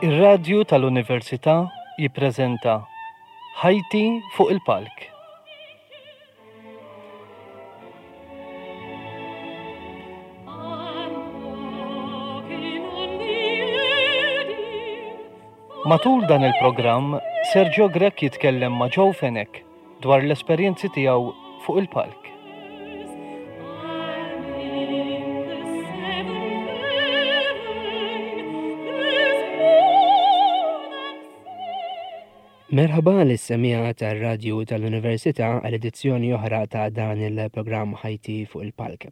Ir-Radju tal-Università jippreżenta Ħajti fuq il-Palk. Matul dan il-programm, Sergio Grech jitkellem ma' Joe Fenech dwar l-esperjenzi tiegħu fuq il-palk. Merħba lis-semmiegħa tar-Radju tal-Università għal edizzjoni oħra ta' dan il-programm Ħajti fuq il-Palk.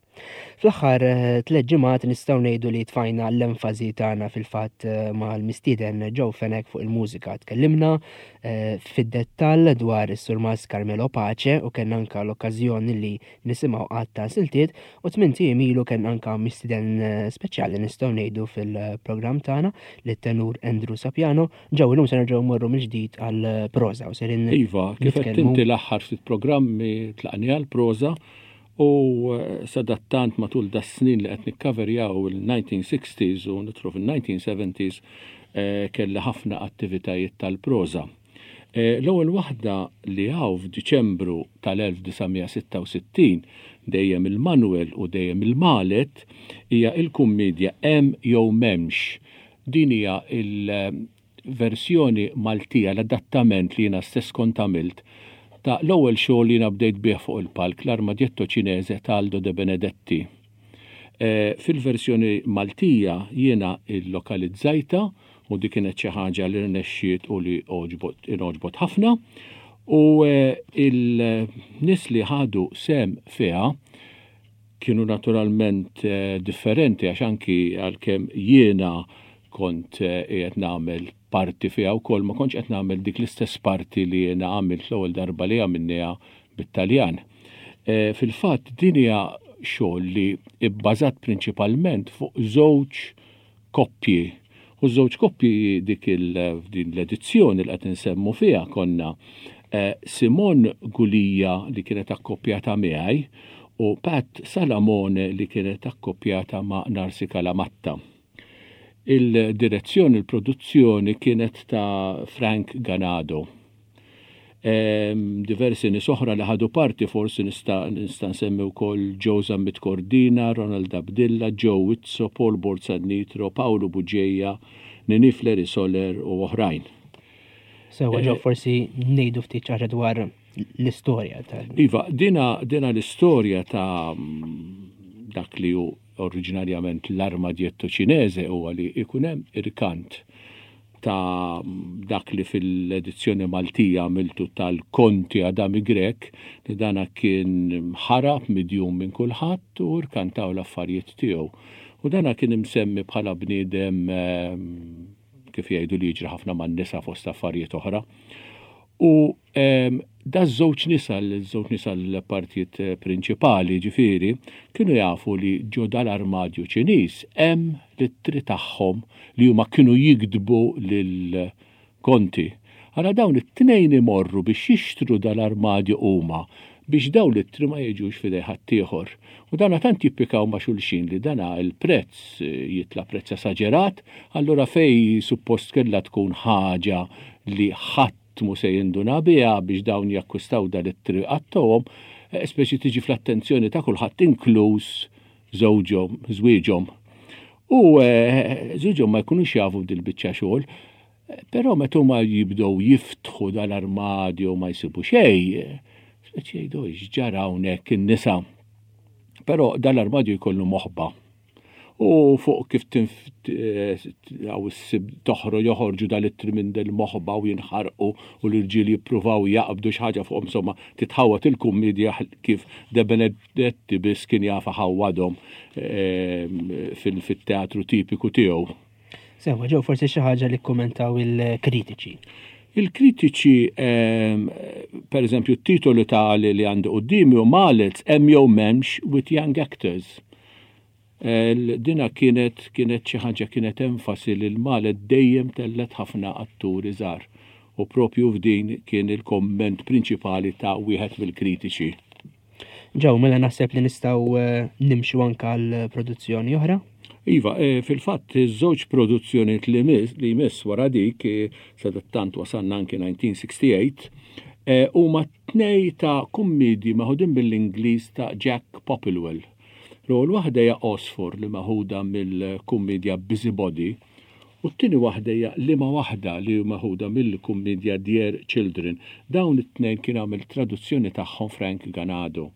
Fl-aħħar eh, tliet ġimgħat nistgħu ngħidu li tfajna l-enfasi tagħna fil-fatt eh, mal-mistieden Joe Fenech fuq il-mużika. Tkellimna eh, fid-dettall dwar is-Surmas Carmelo Pace u kellna anka l-okkażjoni li nisimgħu qatt ta' siltiet u tmien ijiem ilu kellna anka mistieden speċjali nistgħu ngħidu fil-programm tagħna lit-tenur Andrew Sapiano Ġew illum se nerġgħu mmorru mill-ġdid għall-proża u serin. Iva, kif qed inti l-aħħar ftit programmi tlaqni għall-proża u eh, sadattant matul da snin li qed nikkaverjaw il-1960s u nitru fil-1970s eh, kelli ħafna attivitajiet tal-proża. Eh, l-ewwel waħda li hawn f'Diċembru tal-1966 dejjem il-Manuel u dejjem il-Malet hija il-kummedja Hemm jew M'hemmx Din hija l-versjoni Maltija, l-adattament li jiena stess kont għamilt ta' l-ewwel xogħol li jiena bdejt bih fuq il-palk, L-Armadietto Cinese ta' Aldo De Benedetti. Fil-versjoni Maltija jiena llokalizzajtha u dik kienet xi ħaġa li rnexxiet u li għoġbot ingħoġbot ħafna u il-nies li ħadu sehem fiha kienu naturalment differenti għax anki għalkemm jiena kont qiegħed nagħmel parti fiha wkoll ma kontx qed nagħmel dik l-istess parti li jiena għamilt l-ewwel darba li għamilniha bit-Taljan. Fil-fatt din hija xogħol li bbażat prinċipalment fuq żewġ koppji. U żewġ koppji dik din l-edizzjoni li qed insemmu fiha konna eh, Simon Gulija li kienet akkoppjata miegħi u Pat Salamone li kienet akkoppjata ma' Narsi Kalamatta. Il-direzzjoni, il-produzzjoni kienet ta' Frank Ganado. Diversi nies oħra li ħadu parti forsi nista' nista' nsemmi wkoll Joe Zammit Cordina, Ronald Abdilla, Joe Wizzo, Paul Borzan Nitro, Pawlu Bugeja, Nini Fleri Soler u oħrajn. Sewa Joe forsi ngħidu ftit xi ħaġa dwar l-istorja ta' Iva, dina, dina l-istorja ta' dak li hu oriġinarjament l-armadietto Ċinese huwa li jkun hemm irkant ta' dak li fil-edizzjoni Maltija għamiltu tal-Konti Adami Grech, li dana kien ħarab midjun minn kulħadd u rkantaw l-affarijiet tiegħu. U dana kien imsemmi bħala bniedem kif jgħidu li jiġri ħafna man-nisa fost affarijiet oħra. U Da żewġ nisa, l-żewġ nisa l-partijiet eh, prinċipali ġifieri, kienu jafu li ġo dal-armadju Ċiniż hemm l-ittri tagħhom li huma kienu jikdbu lil konti. Ara dawn it-tnejn imorru biex jixtru dal-armadju huma biex dawn l-ittri ma jiġux f'idej ħaddieħor. U dana tant jippikaw ma' xulxin li dana il-prezz eh, jitla prezz esaġerat, allura fej suppost kellha tkun ħaġa li ħadd Ħadd mhu se jinduna biha biex dawn jakkwistaw dan it-triq għat-togħom, speċi tiġi fl-attenzjoni ta' kulħadd inkluż żewġhom, żwieġhom. U żwieġhom ma jkunux jafu b'dil-biċċa xogħol, però meta huma jibdew jiftħu dal-armadju ma jsibu xejn, speċi jgħidu x'ġara hawnhekk in-nisa. Però dal-armadju jkollu moħba. U fuq kif toħroġ joħorġu dal-ittri minn del-moħba u jinħarqu u l-irġiel jippruvaw jaqbdu xi ħaġa fuqhom insomma titħawwad il-kummedja kif De Benedetti biss kien jaf iħawwadhom ehm, fil-teatru tipiku tiegħu. Sewa, ġew forsi xi ħaġa li kkumentaw il-kritiċi. Il-kritiċi, ehm, per eżempju, t-titolu ta' li għandi qudiemi u Malets hemm jew m'hemmx with young actors. Dina kienet kienet xi ħaġa kienet enfasi li l-Malet dejjem tellgħet ħafna atturi żgħar u propju f'din kien il-komment prinċipali ta' wieħed mill-kritiċi. Ġew, mela naħseb li nistgħu eh, nimxu anke għal produzzjoni oħra. Iva, eh, fil-fatt iż-żewġ produzzjonijiet li miss li jmiss wara dik eh, sadattant wasalna anki 1968 eh, huma tnej ta' kummedji meħudin mill-Ingliż ta' Jack Popplewell. L-ewwel waħda hija Għosfor li meħuda mill-kummedja Busybody u t-tieni waħda hija Liema Waħda li meħuda mill-kummedja Dear Children. Dawn it-tnejn kien għamel traduzzjoni tagħhom Frank Ganado.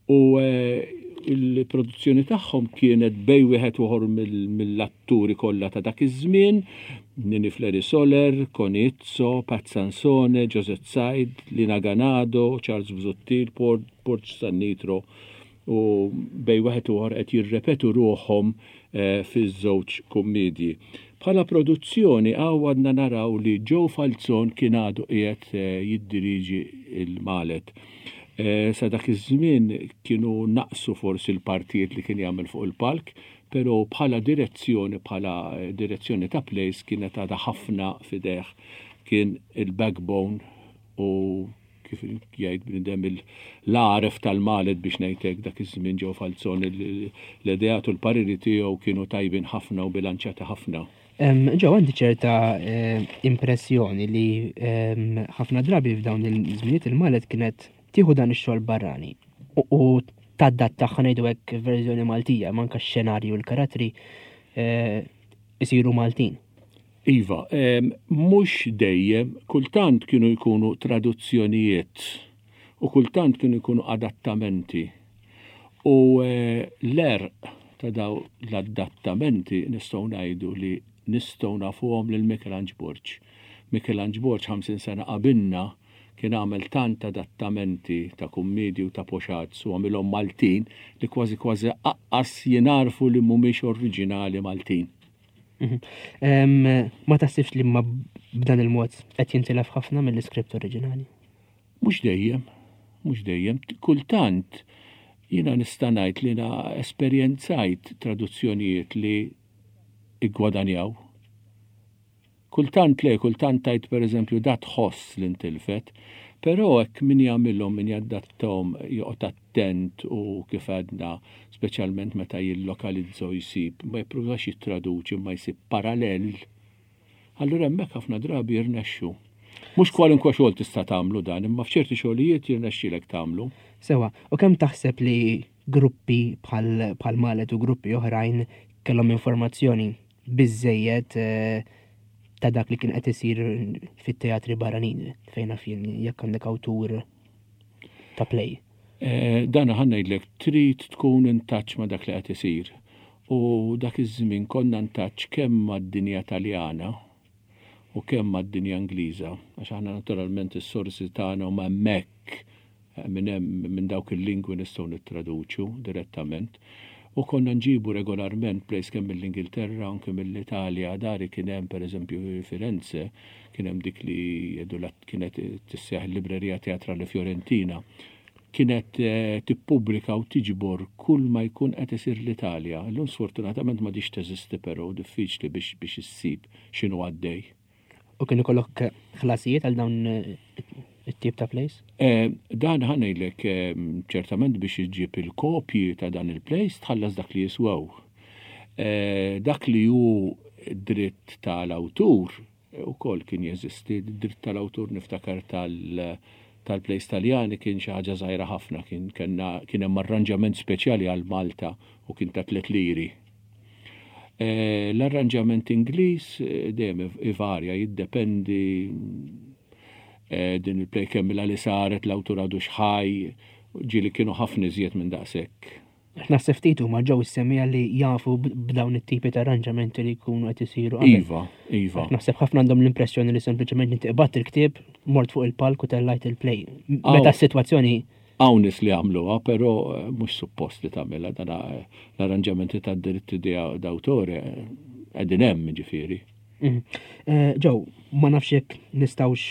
U l-produzzjoni tagħhom kienet bej wieħed uħor mill-atturi kollha ta' dak iż-żmien, Nini Fleri Soler, Connie Izzo, Pat Sansone, Josette Said, Lina Ganado, Charles Busuttil, Porch Sannitro u bej wieħed uħor qed jirrepetu ruħhom eh, fiż-żewġ kummedji. Bħala produzzjoni hawn għadna naraw li Joe Falzon kien għadu qiegħed eh, jiddiriġi il-Malet. Eh, sa dak iż-żmien kienu naqsu forsi l-partijiet li kien jagħmel fuq il-palk, però bħala direzzjoni, bħala eh, direzzjoni ta' plays kienet għadha ħafna fideh. Kien il-backbone u kif jgħid bnidem l-għaref tal-Malet biex ngħidlek dak iż-żmien ġew Falzon l-ideat u l-pariri tiegħu kienu tajbin ħafna u bilanċati ħafna. Ġew għandi ċerta eh, impressjoni li ħafna drabi f'dawn il-żminijiet il-Malet kienet tieħu dan ix-xogħol barrani u tadatta ngħidu hekk verżjoni Maltija, manka x-xenarju u l-karattri eh, isiru Maltin. Iva, mhux dejjem, kultant kienu jkunu traduzzjonijiet u kultant kienu jkunu adattamenti. U eh, l-erq ta' daw l-adattamenti nistgħu ngħidu li nistgħu nafuhom lil Michelangelo Borg. Michelangelo Borg 50 sena qabilna kien għamel tant adattamenti ta' kummedji u ta' poxazz u għamilhom Maltin li kważi kważi aqqas jingħarfu li mhumiex oriġinali Maltin. Mhm. Ma taħsibx li ma b'dan il-mod qed jintilef ħafna mill-iskript oriġinali? Mhux dejjem, mhux dejjem. Kultant jiena nista' ngħid li na esperjenzajt traduzzjonijiet li iggwadanjaw. Kultant le, kultant tgħid pereżempju da tħoss li ntilfet, però hekk min jagħmilhom, min jadattahom joqgħod attent u kif għedna, speċjalment meta jillokalizza u jsib, ma jippruvax jittraduċi imma jsib parallel, allura hemmhekk ħafna drabi jirnexxu. Mhux kwalunkwe xogħol tista' tagħmlu dan, imma f'ċerti xogħlijiet jirnexxielek tagħmlu. Sewa, u kemm taħseb li gruppi bħal Malet u gruppi oħrajn kellhom informazzjoni biżżejjed eh, ta' dak li kien qed isir fit-teatri barranin fejn naf jien jekk għandek awtur ta' play. Eh, dan ħa ngħidlek trid tkun in touch ma' dak li qed isir. U dak iż-żmien konna in touch kemm mad-dinja Taljana u kemm mad-dinja Ingliża, għax aħna naturalment is-sorsi tagħna huma hemmhekk eh, minn hemm minn dawk il-lingwi nistgħu nittraduċu direttament. U konna nġibu regolarment plays kemm mill-Ingilterra anke mill-Italja, dari kien hemm pereżempju Firenze, kien hemm dik li jgħidu kienet tissejjaħ il-Libreria Teatrale Fiorentina kienet eh, tippubblika u tiġbor kull ma jkun qed isir l-Italja. Illum sfortunatament ma diċ teżisti però diffiċli biex biex issib x'inhu għaddej. U kien ikollok ħlasijiet għal dawn eh, it-tip ta' plays? Eh, dan ħanejlek eh, ċertament biex iġġib il-kopji ta' dan il-plays tħallas dak li jiswew. Dak li hu dritt tal-awtur ukoll kien jeżisti, dritt tal-awtur niftakar tal- tal-plays Taljani kien xi ħaġa żgħira ħafna, kien kien hemm arranġament speċjali għal Malta u kien ta' tliet liri. Eh, l-arranġament Ingliż eh, dejjem ivarja, jiddependi eh, din il-play kemm li saret l-awtur għadu xħaj, ġieli kienu ħafna iżjed minn daqshekk. Naħseb ftit huma ġew is-semmiegħa li jafu b'dawn it-tipi ta' arranġamenti li jkunu qed isiru. Iva, iva. Naħseb ħafna għandhom l-impressjoni li sempliċement inti qbadt il-ktieb, mort fuq il-palk u tellajt il-play. Meta s-sitwazzjoni Hawn nies li għamluha, però eh, mhux suppost li tagħmilha dan eh, l-arranġamenti tad-diritti d'autore eh, qegħdin hemm ġifieri. Mhm. Ġew, ma nafx jekk nistgħux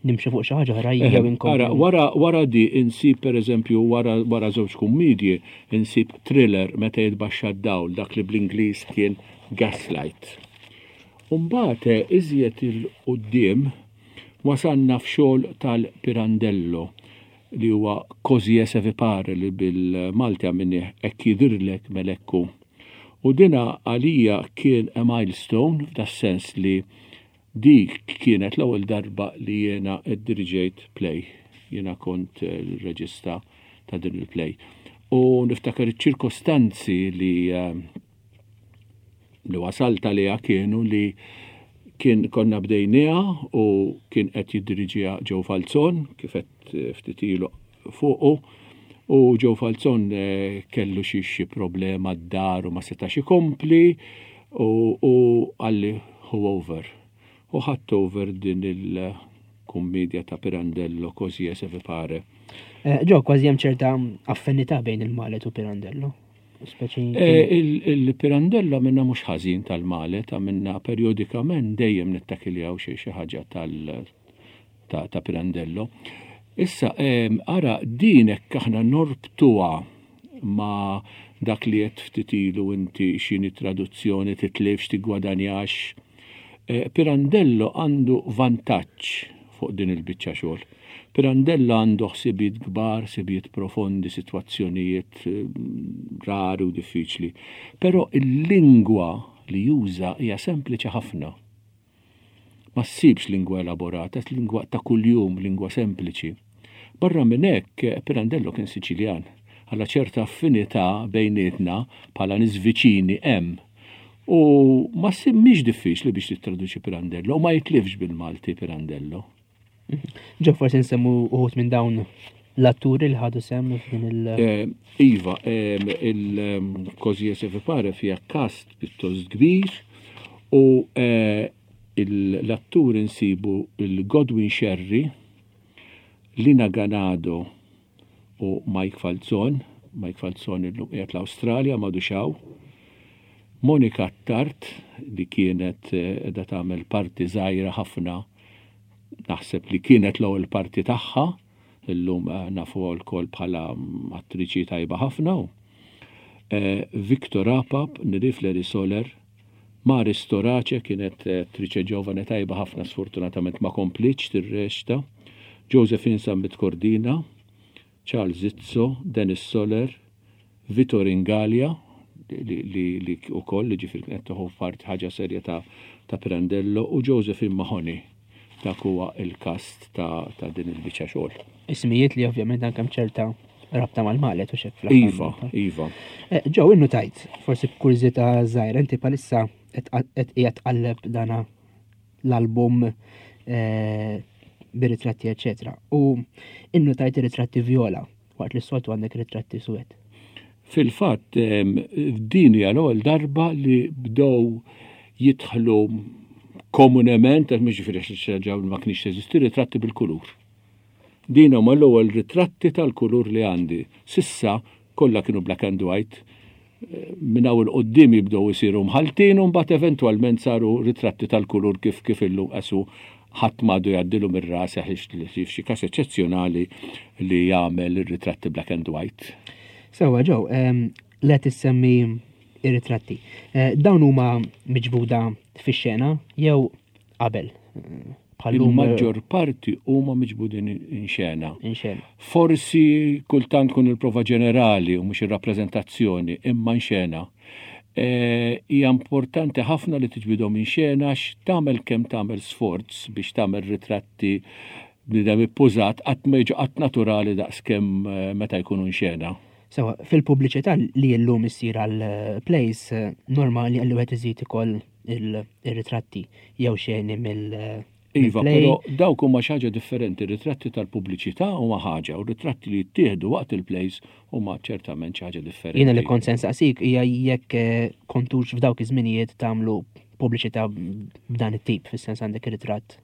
nimxu fuq xi ħaġa oħra jew inkomplu. Ara, wara wara di insib pereżempju wara wara żewġ kummedji insib thriller meta jitbaxxa d-dawl dak li bl-Ingliż kien Gaslight. U mbagħad iżjed il-quddiem wasalna f'xogħol tal-Pirandello li huwa Così è se vi pare li bil-Malti għamilnieh Hekk jidhirlek mela hekk hu. U dina għalija kien a milestone f'das-sens li dik kienet l-ewwel darba li jiena ddiriġejt play. Jiena kont il-reġista ta' din il-play. U niftakar iċ-ċirkostanzi li eh, li wasalt għaliha kienu li kien konna bdejniha u kien qed jiddiriġiha Joe Falzon kif qed eh, ftit ilu fuqu u Joe Falzon eh, kellu xi xi problema d-dar u ma setax ikompli u, u qalli hu over. U ħadt over din il-kummedja ta' Pirandello Così e se vi pare. Eh, Joe, kważi hemm ċerta affinità bejn il-Malet u Pirandello. Eh, il-Pirandello għamilna mhux ħażin tal-Malet, għamilna periodikament dejjem nittakiljaw xi ħaġa tal ta' Pirandello. Issa, ara din hekk aħna norbtuha ma' dak li qed ftit ilu inti x'inhi traduzzjoni titlifx tiggwadanjax. Eh, Pirandello għandu vantaġġ fuq din il-biċċa xogħol. Pirandello għandu ħsibijiet kbar, ħsibijiet profondi, sitwazzjonijiet eh, rari u diffiċli. Però il-lingwa li juża hija sempliċi ħafna. Ma ssibx lingwa elaborata, lingwa ta' kuljum, lingwa sempliċi. Barra minn hekk, Pirandello kien Siċiljan. Għalla ċerta affinità bejnietna bħala nies viċini hemm. U ma mhix diffiċli biex tittraduċi Pirandello u ma jitlifx bil-Malti Pirandello. Ġo forsi nsemmu uħut minn dawn l-atturi li ħadu sem f'din il- eh, iva, eh, il-Così e se vi pare fija kast pjuttost kbir u eh, l-atturi nsibu il-Godwin Sherry, Lina Ganado u Mike Falzon, Mike Falzon illum qiegħed l-Awstralja m'għadux hawn. Monica Attard li kienet qiegħda tagħmel parti żgħira ħafna naħseb li kienet l-ewwel parti tagħha, illum eh, nafuha lkoll bħala mm, attriċi tajba ħafna. Eh, Victor Apap, Nirif Leri Soler, Mari Storace kienet eh, attriċe ġovane tajba ħafna sfortunatament ma komplitx tirreċta, Josephine Sambit Cordina, Charles Izzo, Dennis Soler, Vito Ringalia, li li wkoll li ġifieri kienet tieħu parti ħaġa serja ta' ta' Pirandello u Josephine Mahoney. Dak huwa il-kast ta' ta' din il-biċċa xogħol. Ismijiet li ovvjament anke hemm ċerta rabta mal-Malet u xek fl-aħħar. Iva, iva. Eh, Ġew innu tajt, forsi b'kurżità żgħira, inti palissa qed qiegħed tqalleb dana l-album eh, bir-ritratti eċetera. U innu tajt ritratti viola waqt li s-soltu għandek ritratti suwed. Fil-fatt, din hija l-ewwel darba li bdew jidħlu komunement, għax mhux ġifieri xi ħaġa ma kienx teżisti, ritratti bil-kulur. Din huma l-ewwel ritratti tal-kulur li għandi. Sissa kollha kienu black and white. Minn hawn 'il quddiem jibdew isiru mħalltin u mbagħad eventwalment saru ritratti tal-kulur kif kif illum qasu ħadd m'għadu jgħaddilu mir-ras ħlief f'xi każ eċċezzjonali li jagħmel ir-ritratti black and white. Sewwa Joe, le tissemmi ir-ritratti. Eh, dawn huma miġbuda fix-xena jew qabel? Il-maġġor parti huma miġbudin in xena. In xena. Forsi kultant kun il-prova ġenerali u mhux ir-rappreżentazzjoni, imma in xena. E, hija importanti ħafna li tiġbidhom in xena għax tagħmel kemm tagħmel sforz biex tagħmel ritratti bniedem ippużat qatt ma jiġu qatt naturali daqskemm eh, meta jkunu in xena. Sewa, fil-pubbliċità li llum issir għal eh, plays eh, normali għalli wieħed iżid ikoll il-ritratti jew xeni mill- Iva, però dawk huma xi ħaġa differenti, ritratti tal-pubbliċità huma ħaġa u ritratti li jittieħdu waqt il-plays huma ċertament xi ħaġa differenti. Jiena li kont se nsaqsik hija jekk eh, kontux f'dawk iż-żminijiet tagħmlu pubbliċità b'dan it-tip, fis-sens għandek ritratt.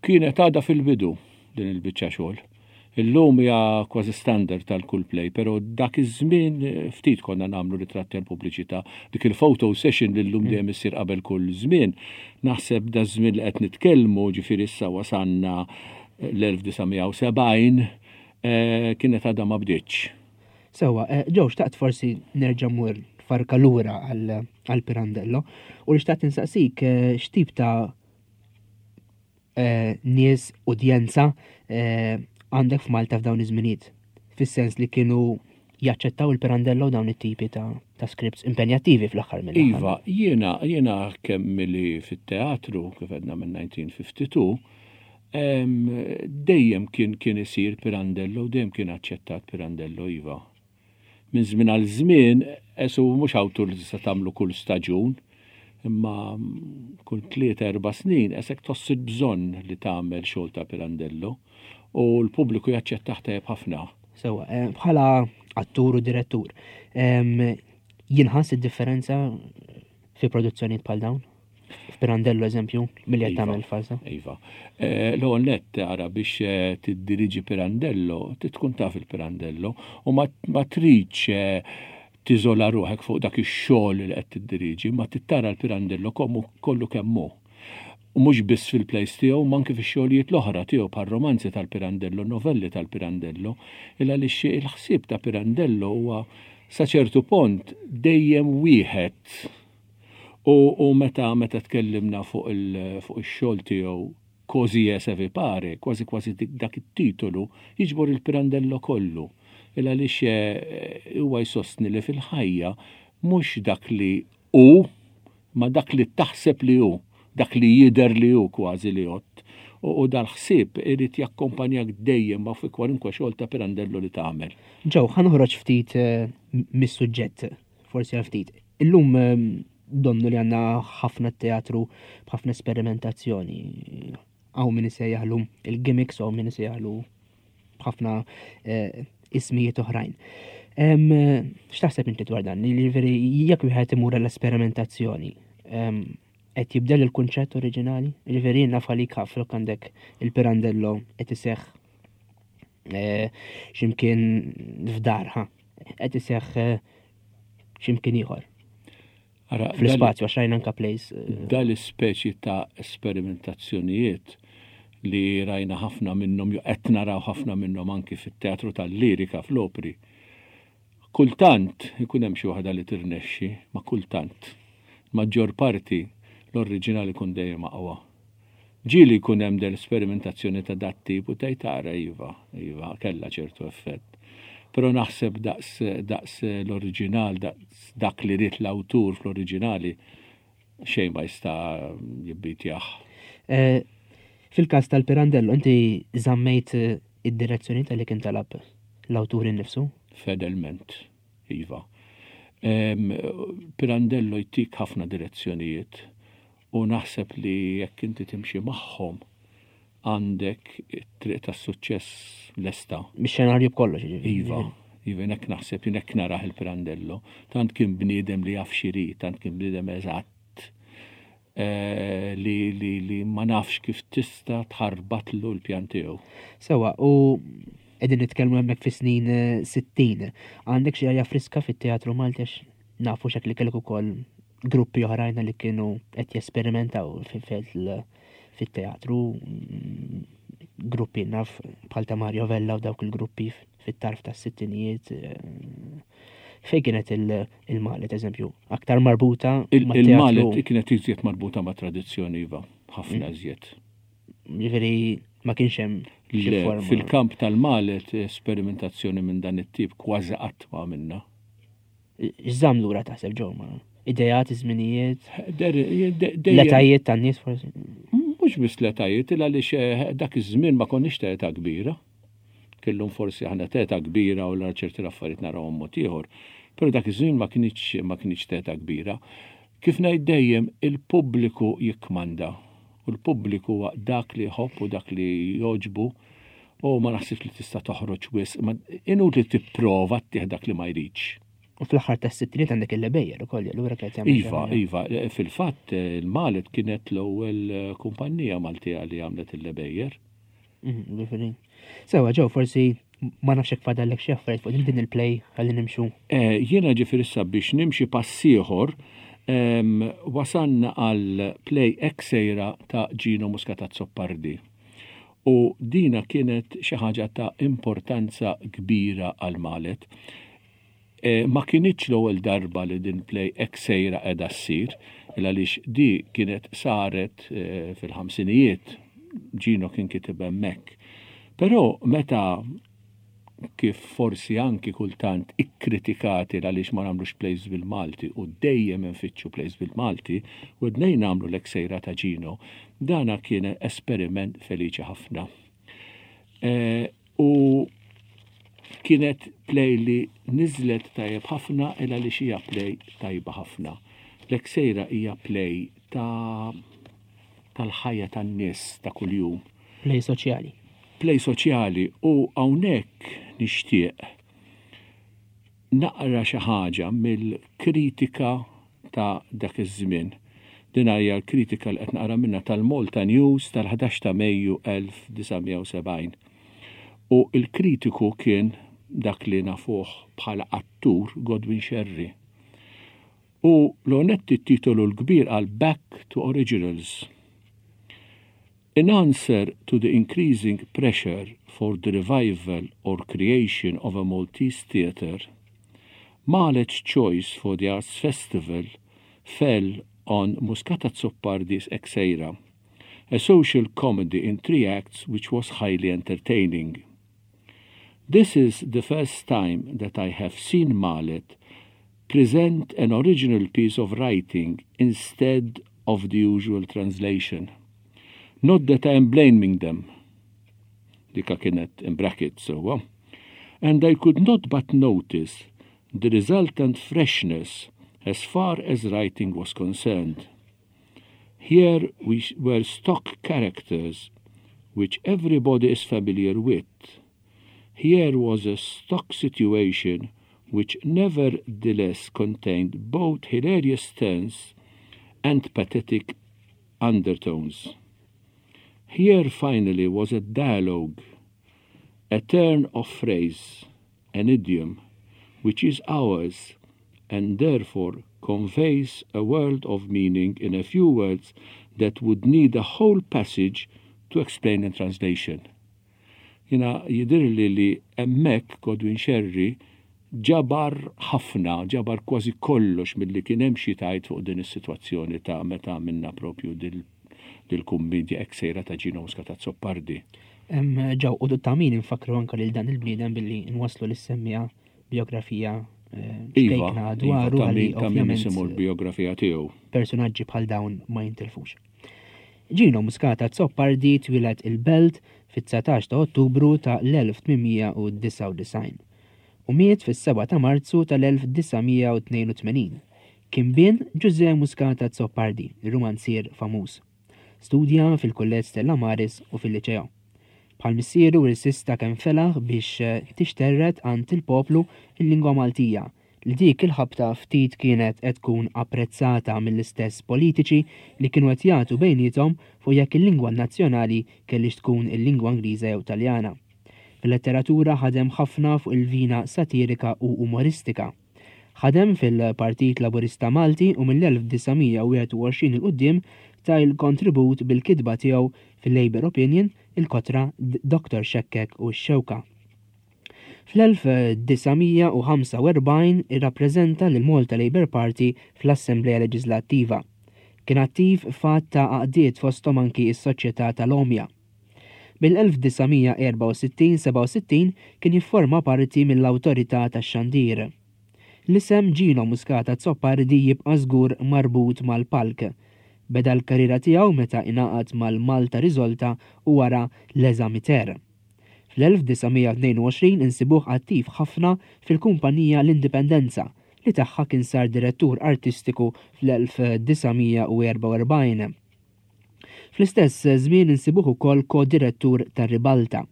Kienet għadha fil-bidu din il-biċċa xogħol. Illum hija kważi standard tal kull play, però dak iż-żmien eh, ftit konna nagħmlu ritratti għal pubbliċità. Dik il-photo session li llum mm. dejjem issir qabel kull żmien, naħseb da żmien li qed nitkellmu, ġifieri issa wasanna eh, l-1970 eh, kienet għadha ma bdietx. Sewa, ġew xtaqt forsi nerġa' mur farka lura għal Pirandello u li xtaqt insaqsik x'tip ta' eh, nies, udjenza eh, għandek f'Malta f'dawn iż-żminijiet. Fis-sens li kienu Jaċċettaw il-Pirandello dawn it-tipi ta', ta scripts impenjattivi fl-aħħar mill Iva, jiena jiena kemm li fit-teatru kif għedna minn 1952, dejjem kien kien isir Pirandello, dejjem kien aċċettat Pirandello, iva. Minn żmien għal żmien, esu mhux awtur li tista' tagħmlu kull staġun, imma kull 3-4 snin esek tħoss il-bżonn li tagħmel xogħol ta' Pirandello u l-pubbliku jaċċettah tajjeb ħafna. Sewwa, eh, bħala attur u direttur, jinħass id-differenza fi produzzjonijiet bħal dawn? F'Pirandello eżempju, milli qed iva, tagħmel farsa. Iva. Eh, l-ewwel nett ara biex eh, tiddiriġi Pirandello, tkun taf il-Pirandello u ma tridx tiżola ruħek fuq dak ix-xogħol li qed tiddiriġi, ma tittara l-Pirandello kollu kemm hu. U mhux biss fil-plays tiegħu imma anki fix-xogħlijiet l-oħra tiegħu bħar-romanzi tal-Pirandello, novelli tal-Pirandello, il għaliex il-ħsieb ta' Pirandello huwa sa ċertu pont dejjem wieħed. U, u meta meta tkellimna fuq il, fuq ix-xogħol tiegħu Così è se vi pare, kważi kważi dak it-titolu jiġbor il-Pirandello kollu. Il għaliex eh, huwa jsostni li fil-ħajja mhux dak li hu ma dak li taħseb li hu, dak li jidher li hu kważi li jgħodd. U dal-ħsieb irid jakkompanjak dejjem ma fi kwalunkwe xogħol ta' Pirandello li tagħmel. Joe, ħa noħroġ ftit eh, mis-suġġett, forsi għal ftit. Illum eh, donnu li għandna ħafna teatru b'ħafna esperimentazzjoni. Hawn min isejjaħlu il-gimmicks, hawn min isejjaħlu b'ħafna eh, ismijiet oħrajn. X'taħseb inti dwar dan? Jiġifieri jekk wieħed imur l-esperimentazzjoni, qed jibdel il-kunċett oriġinali? Jiġifieri naf għalik flok għandek il-Pirandello qed iseħħ eh, x'imkien f'darha, qed iseħħ eh, x'imkien ieħor. Fl-ispazju, għax rajna anka plays. Eh, Dal-ispeċi ta' esperimentazzjonijiet li rajna ħafna minnhom, jew qed naraw ħafna minnhom anki fit-teatru tal-lirika fl-opri. Kultant ikun hemm xi waħda li tirnexxi, ma kultant. Maġġor parti l-oriġinali kun dejjem aqwa. Ġieli jkun hemm del sperimentazzjoni ta' dat-tip u tgħid ara iva, iva, kellha ċertu effett. Però naħseb daqs daqs l-oriġinal, daqs dak li ried l-awtur fl-oriġinali xejn ma jista' jibbitjah. Eh, fil-każ tal-Pirandello, inti żammejt eh, id-direzzjoni tal-li kien talab l-awtur innifsu? Fedelment, iva. Pirandello jtik ħafna direzzjonijiet U naħseb li jekk inti timxi magħhom għandek it-triq tas-suċċess lesta. Mix-xenarju b'kollox, jiġifieri. Iva, iva hekk naħseb, jien hekk narah il-Pirandello. Tant kien bniedem li jaf x'irid, tant kien bniedem eżatt eh, li, li, li ma nafx kif tista' tħarbatlu l-pjan tiegħu. Sewa, u qegħdin nitkellmu hemmhekk fis-snin 60. Eh, Għandek xi arja friska fit-teatru Malti għax nafu xek li kellek ukoll gruppi oħrajn li kienu qed jesperimentaw fit-teatru, gruppi naf bħal ta' Mario Vella u dawk il-gruppi fit-tarf tas sittinijiet eh, Fej kienet il-Malet, eżempju, aktar marbuta Il-Malet kienet iżjed marbuta ma' tradizzjoni iva, ħafna mm. iżjed. Ġifieri ma kienx hemm Fil-kamp tal-Malet esperimentazzjoni minn dan it-tip kważi qatt ma għamilna. X'żamm lura taħseb ġew ma? Idejat, iż-żminijiet? L-etajiet tan-nies forsi? Mhux biss l-etajiet, il għaliex eh, dak iż-żmien ma konniex ta' età kbira. Kellhom forsi aħna ta' età kbira u l ċerti affarijiet narawhom mod ieħor. Però dak iż-żmien ma kienx ma kienx ta' età kbira. Kif ngħid dejjem, il-pubbliku jikkmanda. U l-pubbliku huwa dak li jħobb u dak li jogħġbu u ma naħsibx li tista' toħroġ wisq, ma inutli tipprova ttih dak li ma jridx. U fl-aħħar tas-sittiniet għandek il-Lebejjer ukoll, allura kienet jagħmel. Iva, iva, fil-fatt il-Malet kienet l-ewwel kumpanija Maltija li għamlet il-Lebejjer. Mhm, Sewa, ġew, forsi ma nafx hekk fadallek xi affarijiet fuq din il-play ħalli nimxu. Eh, jiena ġifieri issa biex nimxi pass ieħor wasanna għal play hekk sejra ta' Gino Muscat Azzopardi. U dina kienet xi ħaġa ta' importanza kbira għal Malet. E, ma kinitx l-ewwel darba li din play hekk sejra qiegħda ssir, il għaliex di kienet saret e, fil-ħamsinijiet, Gino kien kitib hemmhekk. Però meta kif forsi anki kultant ikkritikati għaliex ma nagħmlux plays bil-Malti u dejjem infittxu plays bil-Malti u dnejn nagħmlu l-Eksejra ta' Gino, dana kien esperiment feliċi ħafna. E, u kienet play li niżlet tajjeb ħafna il għaliex hija play tajba ħafna. L-Eksejra hija play ta' tal-ħajja tan-nies ta' kuljum. Play soċjali. Play soċjali u hawnhekk nixtieq naqra xi ħaġa mill-kritika ta' dak iż-żmien. Din hija l-kritika li qed naqra minnha tal-Malta News tal-11 ta' Mejju 1970. U l-kritiku kien dak li nafuh bħala attur Godwin Scerri. U l-onetti t-titolu l-kbir għal Back to Originals. In answer to the increasing pressure for the revival or creation of a Maltese theatre, Malet's choice for the Arts Festival fell on Muscat Azzopardi's Exeira, a social comedy in three acts which was highly entertaining. This is the first time that I have seen Malet present an original piece of writing instead of the usual translation. Not that I am blaming them. Dika kienet in brackets, so. And I could not but notice the resultant freshness as far as writing was concerned. Here we were stock characters which everybody is familiar with. Here was a stock situation which nevertheless contained both hilarious turns and pathetic undertones. Here finally was a dialogue, a turn of phrase, an idiom, which is ours and therefore conveys a world of meaning in a few words that would need a whole passage to explain in translation. Jina jidirli li hemmhekk Godwin Scerri ġabar ħafna, ġabar kważi kollox milli kien hemm xi tgħid fuq din is-sitwazzjoni ta' meta għamilna propju dil-kummedja Eksejra ta' Gino Muscat Azzopardi. Ġew u ta' min infakkru anke lil dan il-bniedem billi nwasslu lis-semmiegħa biografija Iva, ċkejkna iva, dwaru ta' ħalli min ta' min ovvjament nisimgħu l-biografija tiegħu. personaġġi bħal dawn ma jintilfux. Gino Muscat Azzopardi twieled il-Belt fit-19 ta' Ottubru ta' l-1899 u miet fis-7 ta' Marzu tal-1982. Kien bin Ġużè Muscat Azzopardi, ir-rumanzier famuż. Studja fil-Kulleġġ Stella Maris u fil-Liċeo. Bħal missieru irsista kemm felaħ biex tixterret għand il-poplu il-lingwa Maltija, li dik il-ħabta ftit kienet qed tkun apprezzata mill-istess politiċi li kienu qed jagħtu bejniethom fuq jekk il-lingwa nazzjonali kellix tkun il-lingwa Ingliża jew Taljana. Fil-letteratura ħadem ħafna fuq il-vina satirika u umoristika. Ħadem fil-Partit Laburista Malti u mill-1921 il quddiem ta il-kontribut bil-kitba tiegħu fil-Labour Opinion, il-Kotra, Dr. Xekkek u x-Xewka. Fl-1945 irrappreżenta lil Malta Labour Party fl-Assemblea Leġislattiva. Kien attiv f'għadd ta' għaqdiet fosthom anki s-Soċjetà tal-Omja. Mill-1964-67 kien jifforma parti mill-Awtorità tax-Xandir. L-isem Gino Muscat Azzopardi jibqa' żgur marbut mal-palk. Beda l-karriera tiegħu meta ingħaqad mal-Malta Riżolta u wara l-Eżamiter. Fl-1922 insibuh attiv ħafna fil-kumpanija L-Indipendenza li tagħha kien sar direttur artistiku fl-1944. Fl-istess żmien insibuh ukoll ko-direttur tar-Ribalta.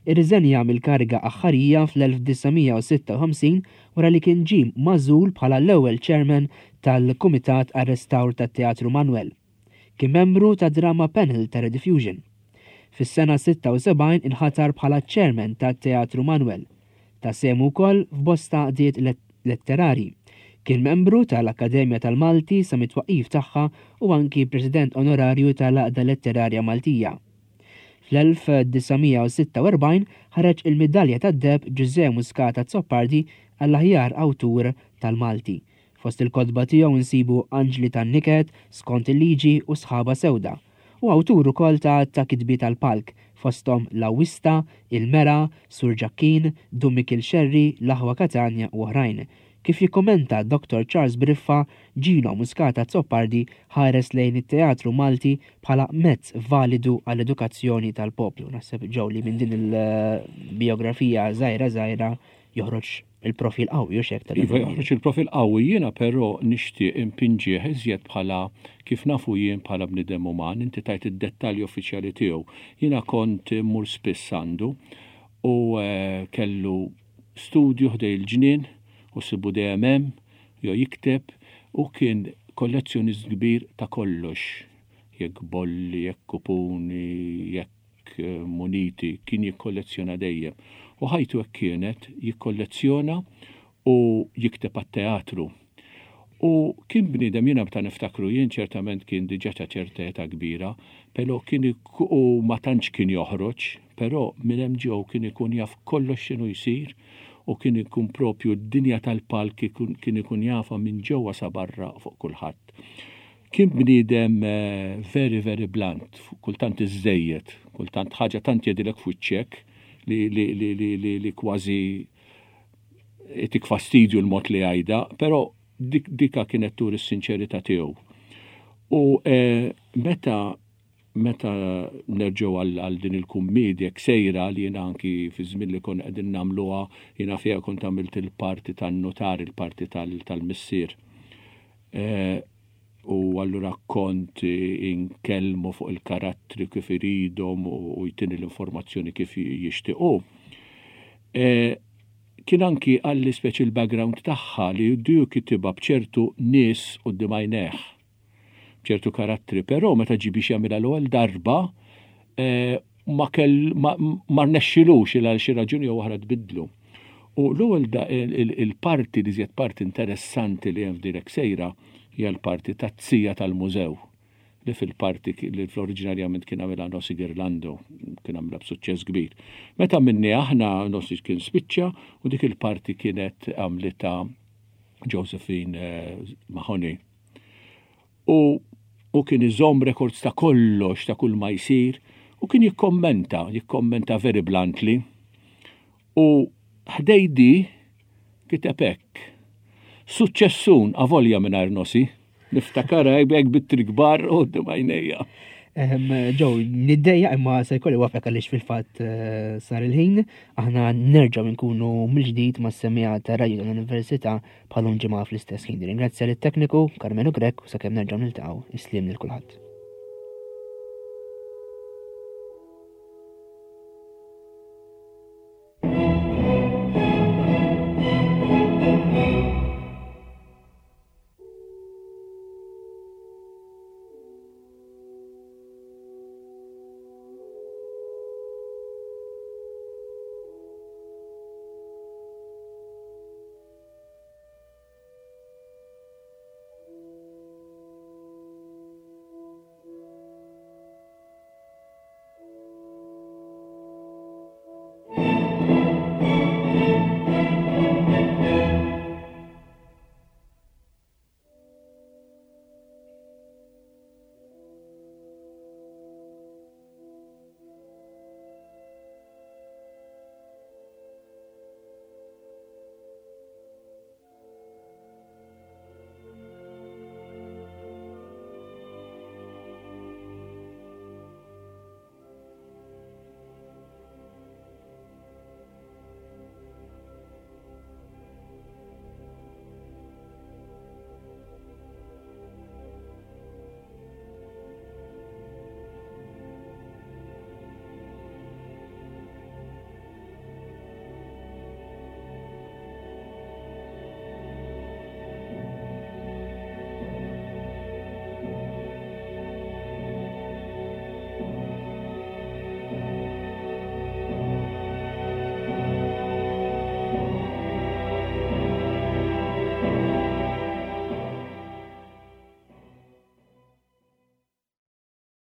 Irriżenja mill-kariga aħħarija fl-1956 wara li kien ġie magħżul bħala l-ewwel chairman tal-Kumitat għar-Restawr tat-Teatru Manuel. Kien membru ta' Drama Panel ta' Rediffusion. Fis-sena 76 inħatar bħala chairman tat-Teatru Manuel. Ta sehmu wkoll f'bosta għaqdiet letterari. Kien membru tal-Akkademja tal-Malti sa mit-twaqqif tagħha u anki president onorarju tal-Għaqda Letterarja Maltija. Fl-1946 ħareġ il-Midalja tad-Deheb Ġużè Muscat Azzopardi għall-aħjar awtur tal-Malti. Fost il-kotba tiegħu nsibu Anġli tan-Niket, Skont il-Liġi u Sħaba Sewda. U awtur ukoll ta' ta' kitbiet għall-palk, fosthom L-Awwista, Il-Mera, Sur Ġakkin, Dun Mikiel Xerri, L-Aħwa Katanja u oħrajn. Kif jikkumenta Dottor Charles Briffa, Gino Muscat Azzopardi ħares lejn it-teatru Malti bħala mezz validu għall-edukazzjoni tal-poplu. Naħseb Joe li minn din il-bijografija żgħira żgħira joħroġ il-profil qawwi u xek tal Iva joħroġ il-profil qawwi jiena però nixtieq impinġih iżjed bħala kif nafu jien bħala bniedem uman, inti tajt id-dettalji uffiċjali tiegħu. Jiena kont immur spiss għandu u eh, kellu studju ħdej il-ġnien u sibu dejjem hemm jew jikteb u kien kollezzjonist kbir ta' kollox jekk bolli, jekk kupuni, jekk muniti, kien jikkollezzjona dejjem. U ħajtu hekk kienet, jikkollezzjona u jikteb għat-teatru. U kien bniedem jiena meta niftakru jien ċertament kien diġà ta' ċerta età kbira, però kien u ma tantx kien joħroġ, però minn hemm ġew kien ikun jaf kollox x'inhu jsir u kien ikun propju d-dinja tal-palk kien ikun jafha minn ġewwa sa barra fuq kulħadd. Kien bniedem very very blunt, kultant iżżejjed, kultant ħaġa tant jgħidilek f'wiċċek li li li li li li kważi itik fastidju l-mod li jgħidha, però dik dika kienet turi s-sinċerità tiegħu. U eh, meta meta nerġgħu għal din il-kummiedja sejra li jiena anki fi żmien li konna qegħdin nagħmluha jiena fiha kont għamilt il-parti tan-nutar, il-parti tal-missier. Eh, u allura kont inkellmu fuq il-karattri kif iridhom u jtini l-informazzjoni kif jixtiequ. E, kien anki għalli speċi l-background tagħha li du kitibha b'ċertu nies quddiem għajnejh ċertu karattri, però meta ġi biex jagħmilha l-ewwel darba e, ma kell ma, ma rnexxilux il għal xi raġuni jew oħra tbiddlu. U l-ewwel il-parti li żjed parti interessanti li hemm f'Direk Sejra hija l-parti tat-tija tal-mużew li fil-parti li fl-oriġinarjament kien għamilha Nossi Girlando, kien għamilha b'suċċess kbir. Meta minni aħna Nossi kien spiċċa u dik il-parti kienet għamlitha Josephine eh, Mahoney. U u kien iżomm records ta' kollox, ta' kull ma jsir, u kien jikkommenta, jikkommenta very bluntly. U ħdej di kiteb hekk. Suċċessun avolja mingħajr nosi. Niftakarha hekk bit-tri kbar u għajnejja. Ġew, niddejja imma se jkolli wafek għaliex fil-fatt eh, sar il-ħin, aħna nerġgħu nkunu mill-ġdid mas-semija ta' Radio tal-Università bħalum ġimgħa fl-istess ħin. Ringrazzja lit-tekniku Karmenu Grech u sakemm nerġgħu niltaqgħu, isliem lil kulħadd.